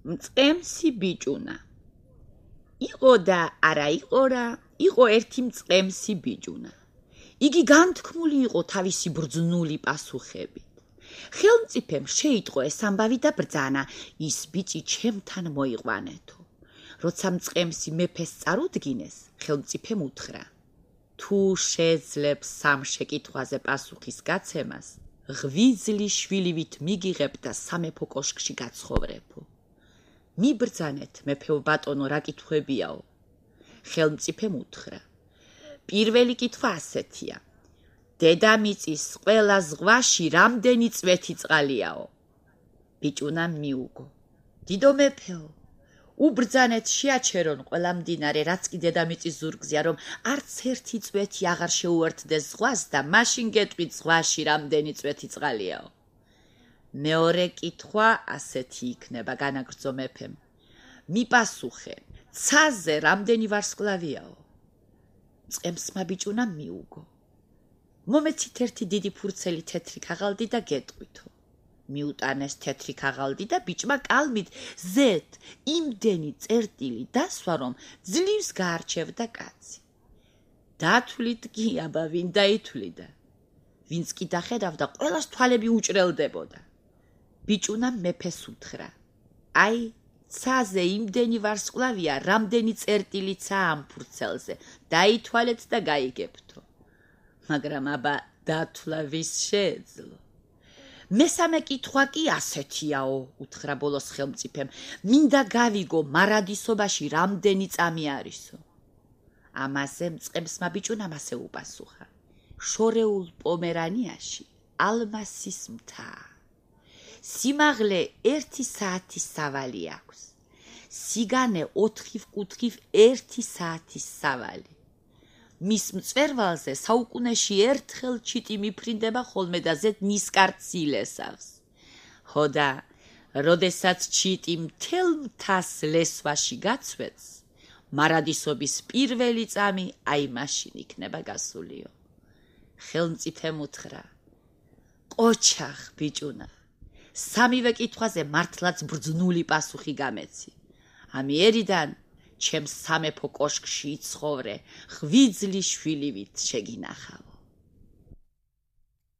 მწყემსი ბიჭუნა. იყო და არა იყო რა, იყო ერთი მწყემსი ბიჭუნა. იგი განთქმული იყო თავისი ბრძნული პასუხებით. ხელმწიფემ შეიტყო ეს ამბავი და ბრძანა, ის ბიჭი ჩემთან მოიყვანეთო. როცა მწყემსი მეფეს წარუდგინეს, ხელმწიფემ უთხრა: თუ შეძლებს სამ შეკითხვაზე პასუხის გაცემას, ღვიძლი შვილივით მიგიღებ და სამეფო კოშკში გაცხოვრებო. მიბრძანეთ, მეფეო ბატონო, რა კითხვებიაო? ხელმწიფემ უთხრა: პირველი კითხვა ასეთია: დედამიწის ყველა ზღვაში რამდენი წვეთი წყალიაო? ბიჭუნამ მიუგო: დიდო მეფეო, უბრძანეთ, შეაჩერონ ყველა მდინარე, რაც კი დედამიწის ზურგზეა, რომ არც ერთი წვეთი აღარ შეუერთდეს ზღვას და მაშინ გეტყვით ზღვაში რამდენი წვეთი წყალიაო. მეორე კითხვა ასეთი იქნება, განაგრძო მეფემ: მიპასუხე, ცაზე რამდენი ვარსკვლავიაო? მწყემსმა ბიჭუნამ მიუგო: მომეცით ერთი დიდი ფურცელი თეთრი ქაღალდი და გეტყვითო. მიუტანეს თეთრი ქაღალდი და ბიჭმა კალმით ზეთ იმდენი წერტილი დასვა, რომ ძლივს გაარჩევდა კაცი. დათვლით კი, აბა ვინ დაითვლიდა? ვინც კი დახედავდა, ყველას თვალები უჭრელდებოდა. ბიჭუნამ მეფეს უთხრა: აი, ცაზე იმდენი ვარსკვლავია, რამდენი წერტილიცაა ამ ფურცელზე, დაითვალეთ და გაიგებთო. მაგრამ აბა დათვლა ვის შეეძლო? მესამე კითხვა კი ასეთიაო, უთხრა ბოლოს ხელმწიფემ: მინდა გავიგო, მარადისობაში რამდენი წამი არისო? ამაზე მწყემსმა ბიჭუნამ ასე უპასუხა: შორეულ პომერანიაში ალმასის მთა. სიმაღლე 1 საათის სავალი აქვს. სიგანე 4 კუთხით 1 საათის სავალი. მის მწვერვალზე საუკუნეში ერთხელ ჩიტი მიფრინდება ხოლმე და ზედ ნისკარტს. ხო და, როდესაც ჩიტი მთელ მთას ლესვაში გაცვეთს, მარადისობის პირველი წამი აი მაშინ იქნება გასულიო. ხელმწიფემ უთხრა: ყოჩახ ბიჭუნა, სამივე კითხვაზე მართლაც ბრძნული პასუხი გამეცი. ამიერიდან ჩემს სამეფო კოშკში იცხოვრე, ღვიძლი შვილივით შეგინახავ.